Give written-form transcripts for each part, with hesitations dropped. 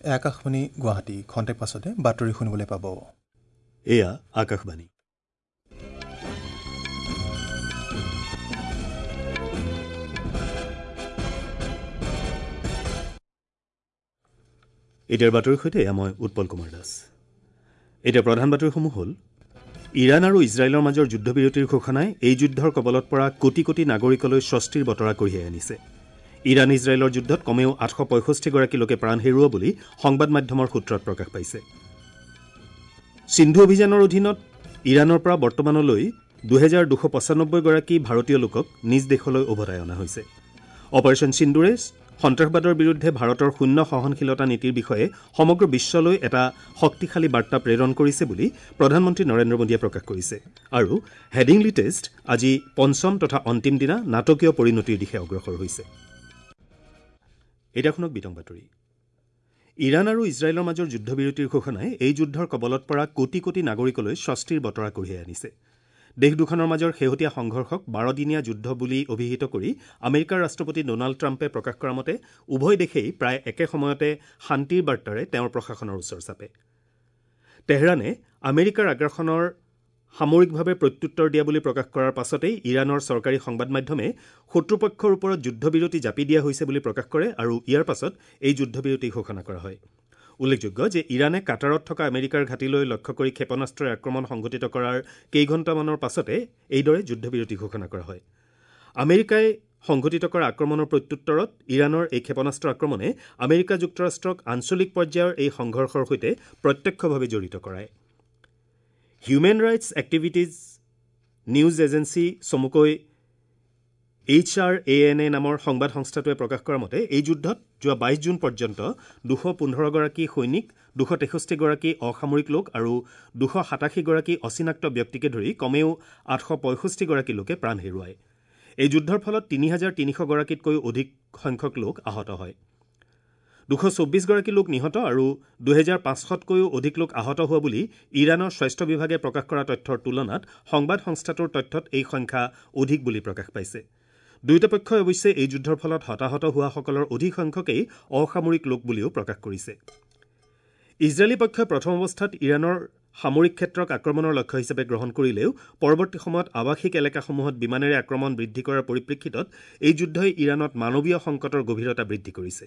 আকাশবাণী গুৱাহাটী। খন্তেক পাছতে বাতৰি শুনিবলৈ পাব। এয়া আকাশবাণী। এতিয়াৰ বাতৰিৰ সৈতে এয়া মই উৎপল কুমাৰ দাস। এতিয়া প্ৰধান বাতৰিসমূহ হ'ল: ইৰাণ আৰু ইজৰাইলৰ মাজৰ যুদ্ধবিৰতিৰ ঘোষণাই এই যুদ্ধৰ কবলত পৰা কোটি কোটি নাগৰিকলৈ স্বস্তিৰ বতৰা কঢ়িয়াই আনিছে। ইৰাণ ইজৰাইলৰ যুদ্ধত কমেও ৮৬৫গৰাকী লোকে প্ৰাণ হেৰুওৱা বুলি সংবাদ মাধ্যমৰ সূত্ৰত প্ৰকাশ পাইছে। সিন্ধু অভিযানৰ অধীনত ইৰাণৰ পৰা বৰ্তমানলৈ ২২৯৫গৰাকী ভাৰতীয় লোকক নিজ দেশলৈ উভতাই অনা হৈছে। অপাৰেশ্যন সিন্দুৰে সন্ত্ৰাসবাদৰ বিৰুদ্ধে ভাৰতৰ শূন্য সহনশীলতা নীতিৰ বিষয়ে সমগ্ৰ বিশ্বলৈ এটা শক্তিশালী বাৰ্তা প্ৰেৰণ কৰিছে বুলি প্ৰধানমন্ত্ৰী নৰেন্দ্ৰ মোদীয়ে প্ৰকাশ কৰিছে। আৰু হেডিংলি টেষ্ট আজি পঞ্চম তথা অন্তিম দিনা নাটকীয় পৰিণতিৰ দিশে অগ্ৰসৰ হৈছে। এতিয়া শুনক বিতং বাতৰি। ইৰাণ আৰু ইজৰাইলৰ মাজৰ যুদ্ধবিৰতিৰ ঘোষণাই এই যুদ্ধৰ কবলত পৰা কোটি কোটি নাগৰিকলৈ স্বস্তিৰ বতৰা কঢ়িয়াই আনিছে। দেশ দুখনৰ মাজৰ শেহতীয়া সংঘৰ্ষক ১২দিনীয়া যুদ্ধ বুলি অভিহিত কৰি আমেৰিকাৰ ৰাষ্ট্ৰপতি ডনাল্ড ট্ৰাম্পে প্ৰকাশ কৰা মতে উভয় দেশেই প্ৰায় একে সময়তে শান্তিৰ বাৰ্তাৰে তেওঁৰ প্ৰশাসনৰ ওচৰ চাপে। তেহৰানে আমেৰিকাৰ আগ্ৰাসনৰ সামৰিকভাৱে প্ৰত্যুত্তৰ দিয়া বুলি প্ৰকাশ কৰাৰ পাছতেই ইৰাণৰ চৰকাৰী সংবাদ মাধ্যমে শত্ৰুপক্ষৰ ওপৰত যুদ্ধবিৰতি জাপি দিয়া হৈছে বুলি প্ৰকাশ কৰে আৰু ইয়াৰ পাছত এই যুদ্ধবিৰতি ঘোষণা কৰা হয়। উল্লেখযোগ্য যে ইৰাণে কাটাৰত থকা আমেৰিকাৰ ঘাটিলৈ লক্ষ্য কৰি ক্ষেপণাস্ত্ৰৰে আক্ৰমণ সংঘটিত কৰাৰ কেইঘণ্টামানৰ পাছতে এইদৰে যুদ্ধবিৰতি ঘোষণা কৰা হয়। আমেৰিকাই সংঘটিত কৰা আক্ৰমণৰ প্ৰত্যুত্তৰত ইৰাণৰ এই ক্ষেপণাস্ত্ৰ আক্ৰমণে আমেৰিকা যুক্তৰাষ্ট্ৰক আঞ্চলিক পৰ্যায়ৰ এই সংঘৰ্ষৰ সৈতে প্ৰত্যক্ষভাৱে জড়িত কৰায়। Human rights activities news agency চমুকৈ HRANA নামৰ সংবাদ সংস্থাটোৱে প্ৰকাশ কৰা মতে এই যুদ্ধত যোৱা ২২ জুন পৰ্যন্ত ২১৫গৰাকী সৈনিক, ২৬৩গৰাকী অসামৰিক লোক আৰু ২৮৭গৰাকী অচিনাক্ত ব্যক্তিকে ধৰি কমেও ৮৬৫গৰাকী লোকে প্ৰাণ হেৰুৱায়। এই যুদ্ধৰ ফলত ৩৩০০গৰাকীতকৈও অধিক সংখ্যক লোক আহত হয়। ২২৪গৰাকী লোক নিহত আৰু ২৫০০তকৈও অধিক লোক আহত হোৱা বুলি ইৰাণৰ স্বাস্থ্য বিভাগে প্ৰকাশ কৰা তথ্যৰ তুলনাত সংবাদ সংস্থাটোৰ তথ্যত এই সংখ্যা অধিক বুলি প্ৰকাশ পাইছে। দুয়োটা পক্ষই অৱশ্যে এই যুদ্ধৰ ফলত হতাহত হোৱাসকলৰ অধিক সংখ্যকেই অসামৰিক লোক বুলিও প্ৰকাশ কৰিছে। ইজৰাইলী পক্ষই প্ৰথম অৱস্থাত ইৰাণৰ সামৰিক ক্ষেত্ৰক আক্ৰমণৰ লক্ষ্য হিচাপে গ্ৰহণ কৰিলেও পৰৱৰ্তী সময়ত আৱাসিক এলেকাসমূহত বিমানেৰে আক্ৰমণ বৃদ্ধি কৰাৰ পৰিপ্ৰেক্ষিতত এই যুদ্ধই ইৰাণত মানৱীয় সংকটৰ গভীৰতা বৃদ্ধি কৰিছে।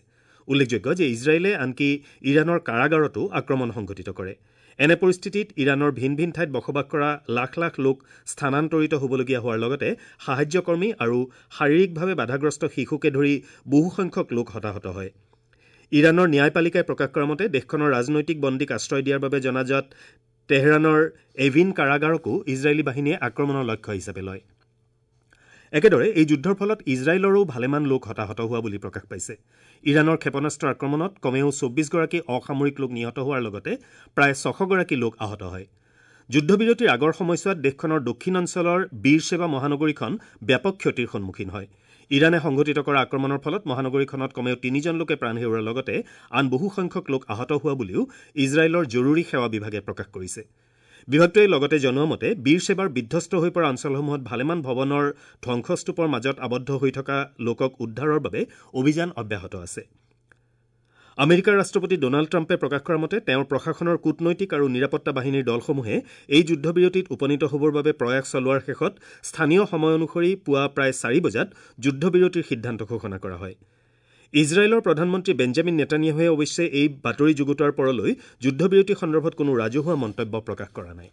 উল্লেখযোগ্য যে ইজৰাইলে আনকি ইৰাণৰ কাৰাগাৰতো আক্ৰমণ সংঘটিত কৰে। এনে পৰিস্থিতিত ইৰাণৰ ভিন ভিন ঠাইত বসবাস কৰা লাখ লাখ লোক স্থানান্তৰিত হ'বলগীয়া হোৱাৰ লগতে সাহায্যকৰ্মী আৰু শাৰীৰিকভাৱে বাধাগ্ৰস্ত শিশুকে ধৰি বহুসংখ্যক লোক হতাহত হয়। ইৰাণৰ ন্যায়পালিকাই প্ৰকাশ কৰা মতে দেশখনৰ ৰাজনৈতিক বন্দীক আশ্ৰয় দিয়াৰ বাবে জনাজাত তেহৰাণৰ এভিন কাৰাগাৰকো ইজৰাইলী বাহিনীয়ে আক্ৰমণৰ লক্ষ্য হিচাপে লয়। একেদৰে এই যুদ্ধৰ ফলত ইজৰাইলৰো ভালেমান লোক হতাহত হোৱা বুলি প্ৰকাশ পাইছে। ইৰাণৰ ক্ষেপণাস্ত্ৰ আক্ৰমণত কমেও ২৪গৰাকী অসামৰিক লোক নিহত হোৱাৰ লগতে প্ৰায় ৬০০গৰাকী লোক আহত হয়। যুদ্ধবিৰতিৰ আগৰ সময়ছোৱাত দেশখনৰ দক্ষিণ অঞ্চলৰ বীৰসেৱা মহানগৰীখন ব্যাপক ক্ষতিৰ সন্মুখীন হয়। ইৰাণে সংঘটিত কৰা আক্ৰমণৰ ফলত মহানগৰীখনত কমেও ৩জন লোকে প্ৰাণ হেৰুওৱাৰ লগতে আন বহুসংখ্যক লোক আহত হোৱা বুলিও ইজৰাইলৰ জৰুৰী সেৱা বিভাগে প্ৰকাশ কৰিছে। বিভাগটোৱে লগতে জনোৱা মতে বীৰসেৱাৰ বিধ্বস্ত হৈ পৰা অঞ্চলসমূহত ভালেমান ভৱনৰ ধ্বংসস্তূপৰ মাজত আবদ্ধ হৈ থকা লোকক উদ্ধাৰৰ বাবে অভিযান অব্যাহত আছে। আমেৰিকাৰ ৰাষ্ট্ৰপতি ডনাল্ড ট্ৰাম্পে প্ৰকাশ কৰা মতে তেওঁৰ প্ৰশাসনৰ কূটনৈতিক আৰু নিৰাপত্তা বাহিনীৰ দলসমূহে এই যুদ্ধবিৰতিত উপনীত হ'বৰ বাবে প্ৰয়াস চলোৱাৰ শেষত স্থানীয় সময় অনুসৰি পুৱা প্ৰায় ৪ বজাত যুদ্ধবিৰতিৰ সিদ্ধান্ত ঘোষণা কৰা হয়। ইজৰাইলৰ প্ৰধানমন্ত্ৰী বেঞ্জামিন নেতানিয়াহুৱে অৱশ্যে এই বাতৰি যুগুতোৱাৰ পৰলৈ যুদ্ধবিৰতি সন্দৰ্ভত কোনো ৰাজহুৱা মন্তব্য প্ৰকাশ কৰা নাই।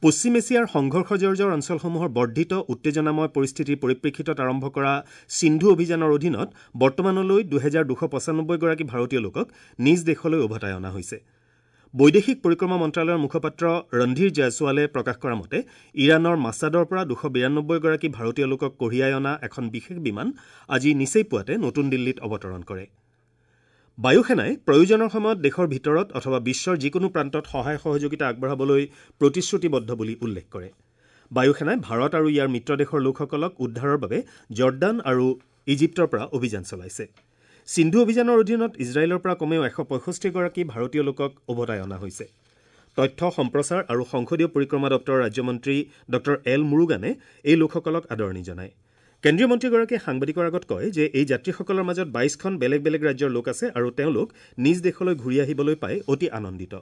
পশ্চিম এছিয়াৰ সংঘৰ্ষজৰ্জৰ অঞ্চলসমূহৰ বৰ্ধিত উত্তেজনাময় পৰিস্থিতিৰ পৰিপ্ৰেক্ষিতত আৰম্ভ কৰা সিন্ধু অভিযানৰ অধীনত বৰ্তমানলৈ ২২৯৫গৰাকী ভাৰতীয় লোকক নিজ দেশলৈ উভতাই অনা হৈছে। বৈদেশিক পৰিক্ৰমা মন্ত্ৰালয়ৰ মুখপাত্ৰ ৰণধীৰ জয়ছোৱালে প্ৰকাশ কৰা মতে ইৰাণৰ মাছাদৰ পৰা ২৯২গৰাকী ভাৰতীয় লোকক কঢ়িয়াই অনা এখন বিশেষ বিমান আজি নিচেই পুৱাতে নতুন দিল্লীত অৱতৰণ কৰে। বায়ুসেনাই প্ৰয়োজনৰ সময়ত দেশৰ ভিতৰত অথবা বিশ্বৰ যিকোনো প্ৰান্তত সহায় সহযোগিতা আগবঢ়াবলৈ প্ৰতিশ্ৰুতিবদ্ধ বুলি উল্লেখ কৰে। বায়ুসেনাই ভাৰত আৰু ইয়াৰ মিত্ৰ দেশৰ লোকসকলক উদ্ধাৰৰ বাবে জৰ্ডান আৰু ইজিপ্তৰ পৰা অভিযান চলাইছে। সিন্ধু অভিযানৰ অধীনত ইজৰাইলৰ পৰা কমেও ১৬৫গৰাকী ভাৰতীয় লোকক উভতাই অনা হৈছে। তথ্য সম্প্ৰচাৰ আৰু সংসদীয় পৰিক্ৰমা দপ্তৰৰ ৰাজ্যমন্ত্ৰী ডঃ এল মুৰুগানে এই লোকসকলক আদৰণি জনায়। কেন্দ্ৰীয় মন্ত্ৰীগৰাকীয়ে সাংবাদিকৰ আগত কয় যে এই যাত্ৰীসকলৰ মাজত ২২খন বেলেগ বেলেগ ৰাজ্যৰ লোক আছে আৰু তেওঁলোক নিজ দেশলৈ ঘূৰি আহিবলৈ পাই অতি আনন্দিত।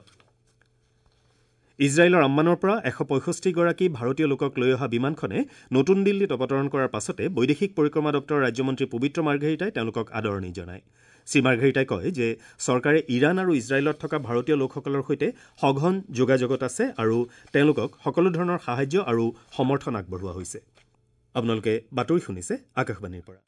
ইজৰাইলৰ আম্মানৰ পৰা ১৬৫গৰাকী ভাৰতীয় লোকক লৈ অহা বিমানখনে নতুন দিল্লীত অৱতৰণ কৰাৰ পাছতে বৈদেশিক পৰিক্ৰমা দপ্তৰৰ ৰাজ্যমন্ত্ৰী পবিত্ৰ মাৰ্ঘেৰিটাই তেওঁলোকক আদৰণি জনায়। শ্ৰী মাৰ্ঘেৰিটাই কয় যে চৰকাৰে ইৰাণ আৰু ইজৰাইলত থকা ভাৰতীয় লোকসকলৰ সৈতে সঘন যোগাযোগত আছে আৰু তেওঁলোকক সকলো ধৰণৰ সাহায্য আৰু সমৰ্থন আগবঢ়োৱা হৈছে। আপোনালোকে বাতৰি শুনিছে আকাশবাণীৰ পৰা।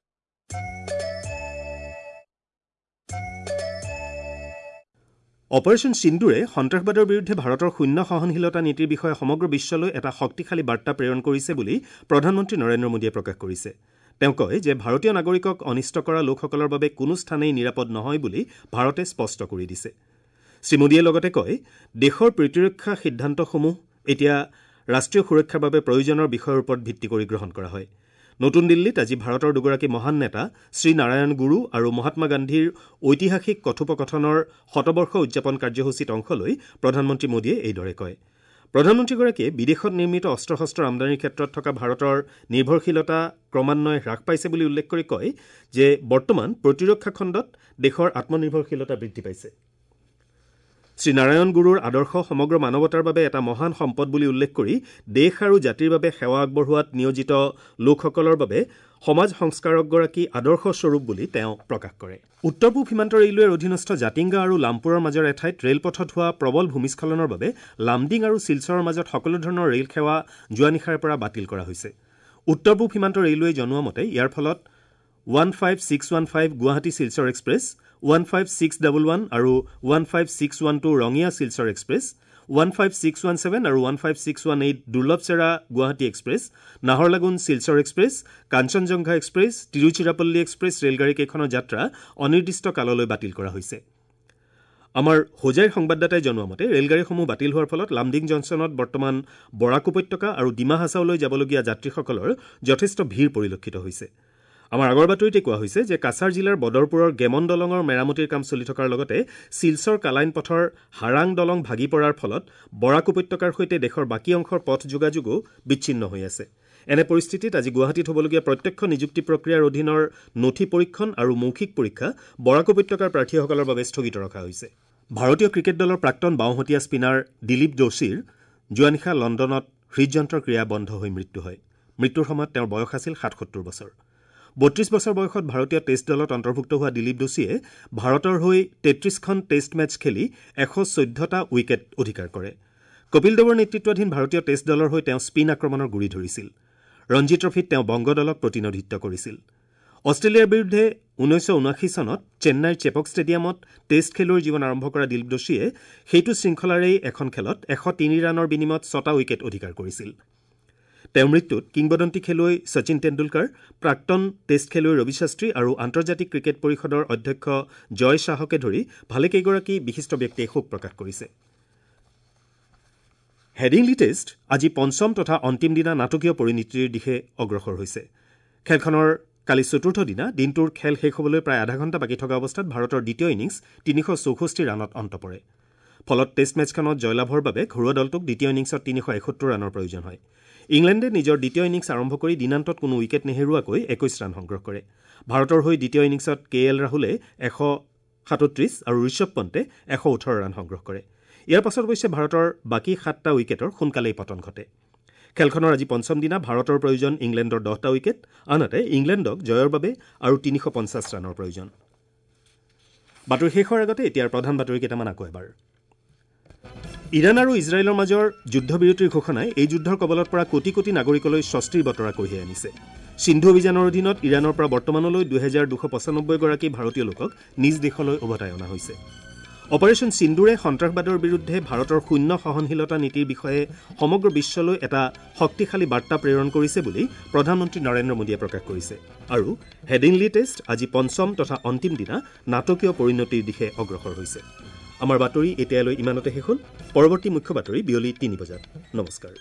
অপাৰেশ্যন সিন্দুৰে সন্ত্ৰাসবাদৰ বিৰুদ্ধে ভাৰতৰ শূন্য সহনশীলতা নীতিৰ বিষয়ে সমগ্ৰ বিশ্বলৈ এটা শক্তিশালী বাৰ্তা প্ৰেৰণ কৰিছে বুলি প্ৰধানমন্ত্ৰী নৰেন্দ্ৰ মোদীয়ে প্ৰকাশ কৰিছে। তেওঁ কয় যে ভাৰতীয় নাগৰিকক অনিষ্ট কৰা লোকসকলৰ বাবে কোনো স্থানেই নিৰাপদ নহয় বুলি ভাৰতে স্পষ্ট কৰি দিছে। শ্ৰী মোদীয়ে লগতে কয়, দেশৰ প্ৰতিৰক্ষা সিদ্ধান্তসমূহ এতিয়া ৰাষ্ট্ৰীয় সুৰক্ষাৰ বাবে প্ৰয়োজনৰ বিষয়ৰ ওপৰত ভিত্তি কৰি গ্ৰহণ কৰা হয়। নতুন দিল্লীত আজি ভাৰতৰ দুগৰাকী মহান নেতা শ্ৰীনাৰায়ণ গুৰু আৰু মহাত্মা গান্ধীৰ ঐতিহাসিক কথোপকথনৰ শতবৰ্ষ উদযাপন কাৰ্যসূচীত অংশ লৈ প্ৰধানমন্ত্ৰী মোদীয়ে এইদৰে কয়। প্ৰধানমন্ত্ৰীগৰাকীয়ে বিদেশত নিৰ্মিত অস্ত্ৰ শস্ত্ৰৰ আমদানিৰ ক্ষেত্ৰত থকা ভাৰতৰ নিৰ্ভৰশীলতা ক্ৰমান্বয়ে হ্ৰাস পাইছে বুলি উল্লেখ কৰি কয় যে বৰ্তমান প্ৰতিৰক্ষা খণ্ডত দেশৰ আত্মনিৰ্ভৰশীলতা বৃদ্ধি পাইছে। শ্ৰীনাৰায়ণ গুৰুৰ আদৰ্শ সমগ্ৰ মানৱতাৰ বাবে এটা মহান সম্পদ বুলি উল্লেখ কৰি দেশ আৰু জাতিৰ বাবে সেৱা আগবঢ়োৱাত নিয়োজিত লোকসকলৰ বাবে সমাজ সংস্কাৰকগৰাকী আদৰ্শ স্বৰূপ বুলি তেওঁ প্ৰকাশ কৰে। উত্তৰ পূব সীমান্ত ৰেলৱেৰ অধীনস্থ জাতিংগা আৰু লামপুৰৰ মাজৰ এঠাইত ৰেলপথত হোৱা প্ৰবল ভূমিস্খলনৰ বাবে লামডিং আৰু শিলচৰৰ মাজত সকলো ধৰণৰ ৰেল সেৱা যোৱা নিশাৰে পৰা বাতিল কৰা হৈছে। উত্তৰ পূব সীমান্ত ৰেলৱেই জনোৱা মতে ইয়াৰ ফলত 15615 গুৱাহাটী শিলচৰ এক্সপ্ৰেছ, 15611 আৰু 15612 ৰঙিয়া শিলচৰ এক্সপ্ৰেছ, 15617 আৰু 15618 Durlabhcherra Guwahati express, Naharlagun Silchar express, Kanchenjunga express, Tiruchirappalli express ৰেলগাড়ীকেইখনৰ যাত্ৰা অনিৰ্দিষ্ট কাললৈ বাতিল কৰা হৈছে। আমাৰ হোজাইৰ সংবাদদাতাই জনোৱা মতে ৰেলগাড়ীসমূহ বাতিল হোৱাৰ ফলত লামডিং জংচনত বৰ্তমান বৰাক উপত্যকা আৰু ডিমা হাছাওলৈ যাবলগীয়া যাত্ৰীসকলৰ যথেষ্ট ভিৰ পৰিলক্ষিত হৈছে। আমাৰ আগৰ বাতৰিতে কোৱা হৈছে যে কাছাৰ জিলাৰ বদৰপুৰৰ গেমন দলঙৰ মেৰামতিৰ কাম চলি থকাৰ লগতে শিলচৰ কালাইন পথৰ হাৰাং দলং ভাগি পৰাৰ ফলত বৰাক উপত্যকাৰ সৈতে দেশৰ বাকী অংশৰ পথ যোগাযোগো বিচ্ছিন্ন হৈ আছে। এনে পৰিস্থিতিত আজি গুৱাহাটীত হ'বলগীয়া প্ৰত্যক্ষ নিযুক্তি প্ৰক্ৰিয়াৰ অধীনৰ নথি পৰীক্ষণ আৰু মৌখিক পৰীক্ষা বৰাক উপত্যকাৰ প্ৰাৰ্থীসকলৰ বাবে স্থগিত ৰখা হৈছে। ভাৰতীয় ক্ৰিকেট দলৰ প্ৰাক্তন বাওঁহতীয়া স্পিনাৰ দিলীপ যোশীৰ যোৱা নিশা লণ্ডনত হৃদযন্ত্ৰৰ ক্ৰিয়া বন্ধ হৈ মৃত্যু হয়। মৃত্যুৰ সময়ত তেওঁৰ বয়স আছিল ৭৭ বছৰ। ৩২ বছৰ বয়সত ভাৰতীয় টেষ্ট দলত অন্তৰ্ভুক্ত হোৱা দিলীপ যোশীয়ে ভাৰতৰ হৈ ৩৩খন টেষ্ট মেচ খেলি ১১৪টা উইকেট অধিকাৰ কৰে। কপিল দেৱৰ নেতৃত্বাধীন ভাৰতীয় টেষ্ট দলৰ হৈ তেওঁ স্পিন আক্ৰমণৰ গুৰি ধৰিছিল। ৰঞ্জী ট্ৰফীত তেওঁ বংগ দলক প্ৰতিনিধিত্ব কৰিছিল। অষ্ট্ৰেলিয়াৰ বিৰুদ্ধে ১৯৭৯ চনত চেন্নাইৰ চেপক ষ্টেডিয়ামত টেষ্ট খেলুৱৈৰ জীৱন আৰম্ভ কৰা দিলীপ যোশীয়ে সেইটো শৃংখলাৰেই এখন খেলত ১০৩ ৰানৰ বিনিময়ত ৬টা উইকেট অধিকাৰ কৰিছিল। তেওঁৰ মৃত্যুত কিংবদন্তি খেলুৱৈ শচীন টেণ্ডুলকাৰ, প্ৰাক্তন টেষ্ট খেলুৱৈ ৰবি শাস্ত্ৰী আৰু আন্তৰ্জাতিক ক্ৰিকেট পৰিষদৰ অধ্যক্ষ জয় শ্বাহকে ধৰি ভালেকেইগৰাকী বিশিষ্ট ব্যক্তিয়ে শোক প্ৰকাশ কৰিছে। হেডিংলি টেষ্ট আজি পঞ্চম তথা অন্তিম দিনা নাটকীয় পৰিণতিৰ দিশে অগ্ৰসৰ হৈছে। খেলখনৰ কালি চতুৰ্থ দিনা দিনটোৰ খেল শেষ হ'বলৈ প্ৰায় আধা ঘণ্টা বাকী থকা অৱস্থাত ভাৰতৰ দ্বিতীয় ইনিংছ ৩৬৪ ৰানত অন্ত পৰে। ফলত টেষ্ট মেচখনত জয়লাভৰ বাবে ঘৰুৱা দলটোক দ্বিতীয় ইনিংছত ৩৭১ ৰানৰ প্ৰয়োজন হয়। ইংলেণ্ডে নিজৰ দ্বিতীয় ইনিংছ আৰম্ভ কৰি দিনান্তত কোনো উইকেট নেহেৰুৱাকৈ ২১ ৰান সংগ্ৰহ কৰে। ভাৰতৰ হৈ দ্বিতীয় ইনিংছত কে এল ৰাহুলে ১৩৭ আৰু ঋষভ পণ্টে ১১৮ ৰান সংগ্ৰহ কৰে। ইয়াৰ পাছত অৱশ্যে ভাৰতৰ বাকী ৭টা উইকেটৰ সোনকালেই পতন ঘটে। খেলখনৰ আজি পঞ্চম দিনা ভাৰতৰ প্ৰয়োজন ইংলেণ্ডৰ ১০টা উইকেট, আনহাতে ইংলেণ্ডক জয়ৰ বাবে আৰু ৩৫০ ৰানৰ প্ৰয়োজন। বাতৰি শেষ হোৱাৰ আগতে এতিয়াৰ প্ৰধান বাতৰি কেইটামান আকৌ এবাৰ। ইৰাণ আৰু ইজৰাইলৰ মাজৰ যুদ্ধবিৰতিৰ ঘোষণাই এই যুদ্ধৰ কবলত পৰা কোটি কোটি নাগৰিকলৈ স্বস্তিৰ বতৰা কঢ়িয়াই আনিছে। সিন্ধু অভিযানৰ অধীনত ইৰাণৰ পৰা বৰ্তমানলৈ ২২৯৫ গৰাকী ভাৰতীয় লোকক নিজ দেশলৈ উভতাই অনা হৈছে। অপাৰেশ্যন সিন্দুৰে সন্ত্ৰাসবাদৰ বিৰুদ্ধে ভাৰতৰ শূন্য সহনশীলতা নীতিৰ বিষয়ে সমগ্ৰ বিশ্বলৈ এটা শক্তিশালী বাৰ্তা প্ৰেৰণ কৰিছে বুলি প্ৰধানমন্ত্ৰী নৰেন্দ্ৰ মোদীয়ে প্ৰকাশ কৰিছে। আৰু হেডিংলি টেষ্ট আজি পঞ্চম তথা অন্তিম দিনা নাটকীয় পৰিণতিৰ দিশে অগ্ৰসৰ হৈছে। আমাৰ বাতৰি এতিয়ালৈ ইমানতে শেষ হ'ল। পৰৱৰ্তী মুখ্য বাতৰি বিয়লি ৩ বজাত। নমস্কাৰ।